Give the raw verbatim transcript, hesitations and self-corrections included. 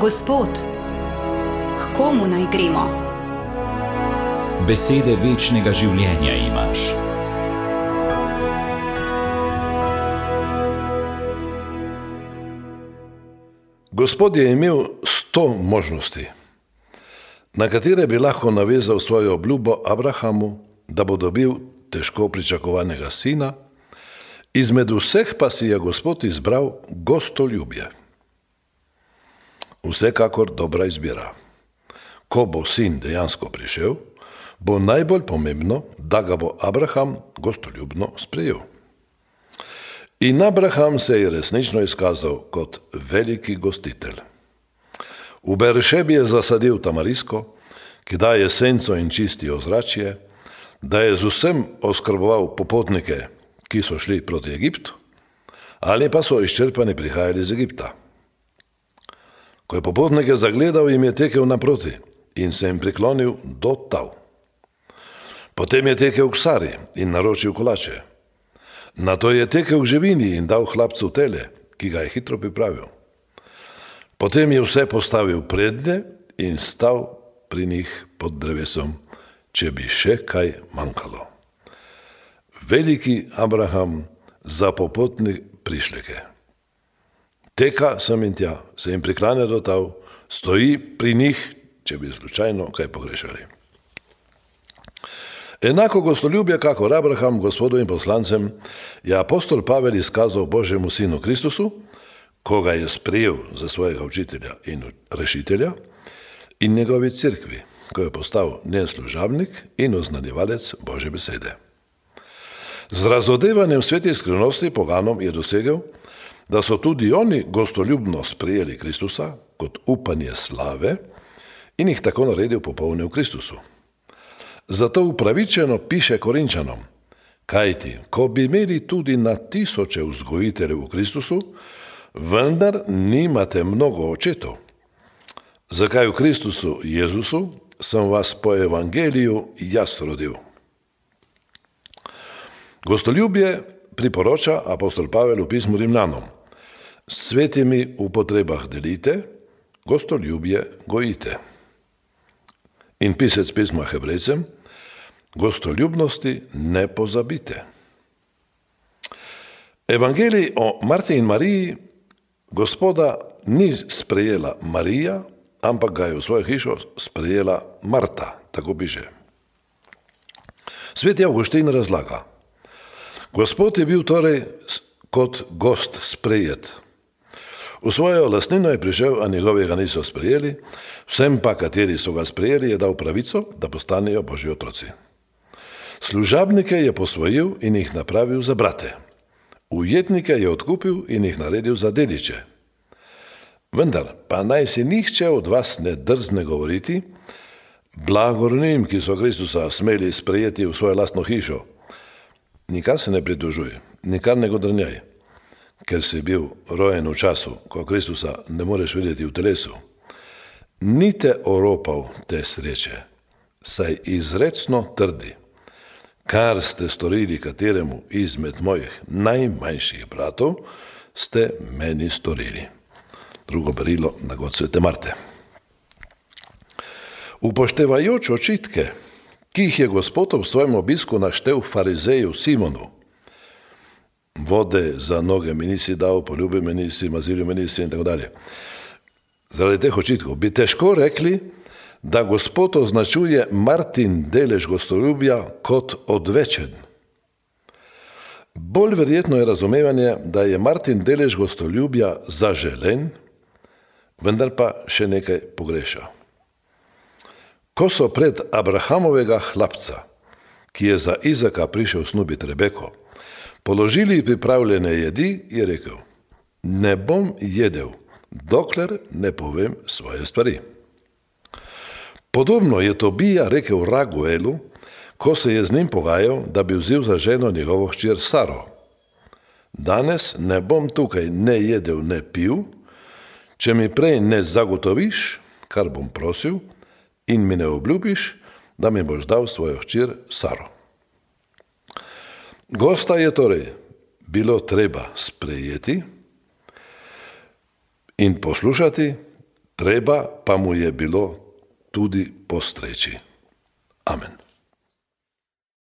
Gospod, k komu naj gremo? Besede večnega življenja imaš. Gospod je imel sto možnosti, na katere bi lahko navezal svojo obljubo Abrahamu, da bo dobil težko pričakovanega sina, izmed vseh pa si je Gospod izbral gostoljubje. Vsekakor dobra izbira. Ko bo sin dejansko prišel, bo najbolj pomembno, da ga bo Abraham gostoljubno sprejel. In Abraham se je resnično izkazal kot veliki gostitelj. V Beršebi je zasadil tamarisko, ki daje senco in čisti ozračje, da je z vsem oskrboval popotnike, ki so šli proti Egiptu, ali pa so izčrpani prihajali iz Egipta. Ko je popotnike zagledal, jim je tekel naproti in se jim priklonil do tal. Potem je tekel k Sari in naročil kolače. Nato je tekel k živini in dal hlapcu tele, ki ga je hitro pripravil. Potem je vse postavil prednje in stal pri njih pod drevesom, če bi še kaj manjkalo. Veliki Abraham za popotne prišleke. Teka sem in tja, se jim priklanja do tal, stoji pri njih, če bi slučajno kaj pogrešali. Enako gostoljubje, kakor Abraham, Gospodovim poslancem, je apostol Pavel izkazal Božjemu sinu Kristusu, ko ga je sprejel za svojega učitelja in rešitelja, in njegovi cerkvi, ko je postal njen služabnik in oznanjevalec Božje besede. Z razodevanjem svetih skrivnosti poganom je dosegel, da so tudi oni gostoljubno sprejeli Kristusa kot upanje slave in jih tako naredil popolne v Kristusu. Zato upravičeno piše Korinčanom, kajti, ko bi imeli tudi na tisoče vzgojiteljev v Kristusu, vendar nimate mnogo očetov. Zakaj v Kristusu Jezusu sem vas po evangeliju jaz rodil? Gostoljubje priporoča apostol Pavel v pismu Rimljanom. S svetimi v potrebah delite, gostoljubje gojite. In pisec pisma Hebrejcem, gostoljubnosti ne pozabite. Evangelij o Marti in Mariji Gospoda ni sprejela Marija, ampak ga je v svojo hišo sprejela Marta, tako piše. Sveti Avguštin razlaga. Gospod je bil torej kot gost sprejet. V svojo lastnino je prišel, a njegovega niso sprejeli, vsem pa, kateri so ga sprejeli, je dal pravico, da postanejo Božji otroci. Služabnike je posvojil in jih napravil za brate. Ujetnike je odkupil in jih naredil za dediče. Vendar pa naj si nihče od vas ne drzne govoriti, blagor njim, ki so Kristusa smeli sprejeti v svojo lastno hišo. Nikar se ne pritožuj, nikar ne godrnjaj, ker si bil rojen v času, ko Kristusa ne moreš videti v telesu. Ni te oropal te sreče, saj izrecno trdi, kar ste storili kateremu izmed mojih najmanjših bratov, ste meni storili. Drugo berilo na god svete Marte. Upoštevajoč očitke, ki jih je Gospod v svojem obisku naštel farizeju Simonu, vode za noge mi nisi dal, poljubi me nisi, mazilju me nisi in tako dalje. Zaradi teh očitkov bi težko rekli, da Gospod označuje Martin delež gostoljubja kot odvečen. Bolj verjetno je razumevanje, da je Martin delež gostoljubja zaželen, vendar pa še nekaj pogreša. Ko so pred Abrahamovega hlapca, ki je za Izaka prišel snubiti Rebeko, položili pripravljene jedi, je rekel, ne bom jedel, dokler ne povem svoje stvari. Podobno je Tobija rekel Raguelu, ko se je z njim pogajal, da bi vzel za ženo njegovo hčer Saro. Danes ne bom tukaj ne jedel, ne pil, če mi prej ne zagotoviš, kar bom prosil, in mi ne obljubiš, da mi boš dal svojo hčer Saro. Gosta je torej bilo treba sprejeti in poslušati, treba pa mu je bilo tudi postreči. Amen.